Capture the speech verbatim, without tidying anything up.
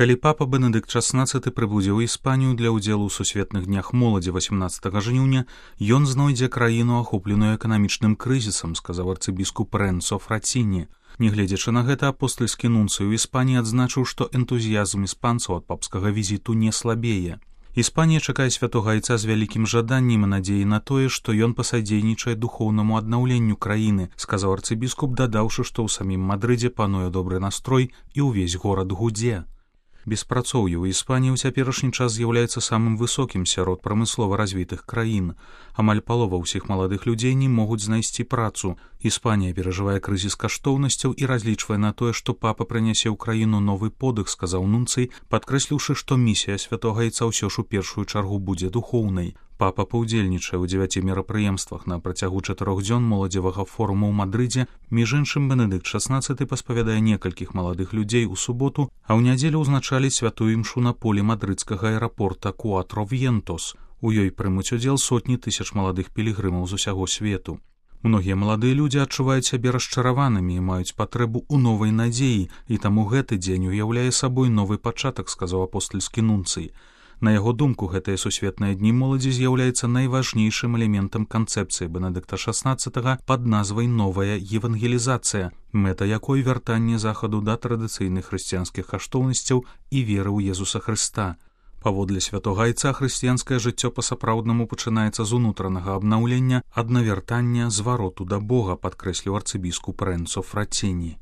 Калі папа Бенедыкт шаснаццаты прыбудзе ў Іспанію для ўдзелу ў сусветных днях моладзі васемнаццатага жніўня, ён знойдзе краіну, ахопленую эканамічным крызісам, сказаў арцыбіскуп Рэнцо Фраціні. Нягледзячы на гэта, апостальскі нунцый у Іспаніі адзначыў, што энтузіязм іспанцаў ад папскага візіту не слабее. Іспанія чакае святога айца з вялікім жаданнем і надзеяй на тое, што ён пасадзейнічае духоўнаму аднаўленню краіны, сказаў арцыбіскуп, дадаўшы, што ў самім Мадрыдзе пануе добры настрой і ўвесь горад гудзе. Беспрацоўе ў Іспаніі ў цяперашні час з'яўляецца самым высокім сярод прамыслова развітых краін. Амаль палова ўсіх маладых людзей не могуць знайсці працу. Іспанія перажывае крызіс каштоўнасцяў і разлічвае на тое, што папа прынясе ў краіну новы подых, сказаў нунцый, падкрэсліўшы, што місія святога айца ўсё ж у першую чаргу будзе духоўнай. Папа паўдзельнічае ў дзевяці мерапрыемствах на працягу чатырох дзён моладзевага форуму ў Мадрыдзе. Між іншым, Бенедыкт шаснаццаты паспавядае некалькіх маладых людзей у суботу, а ў нядзелю ўзначаліць святую імшу на полі мадрыдскага аэрапорта Куатро Вьентос. У ёй прымуць удзел сотні тысяч маладых пілігрымаў з усяго свету. Многія маладыя людзі адчуваюць сябе расчараванымі і маюць патрэбу ў новай надзеі, і таму гэты дзень уяўляе сабой новы пачатак, сказаў апостальскі нунцый. На яго думку, гэтыя сусветныя дні моладзі з'яўляецца найважнейшым элементам канцэпцыі Бенедыкта шаснаццатага пад назвай «Новая евангелізацыя», мэта якой вяртанне захаду да традыцыйных хрысціянскіх каштоўнасцяў і веры ў Езуса Хрыста. Паводле святога айца хрысціянскае жыццё па-сапраўднаму пачынаецца з унутранага абнаўлення, ад навяртання, звароту да Бога, падкрэсліў арцыбіскуп Рэнцо Фраціні.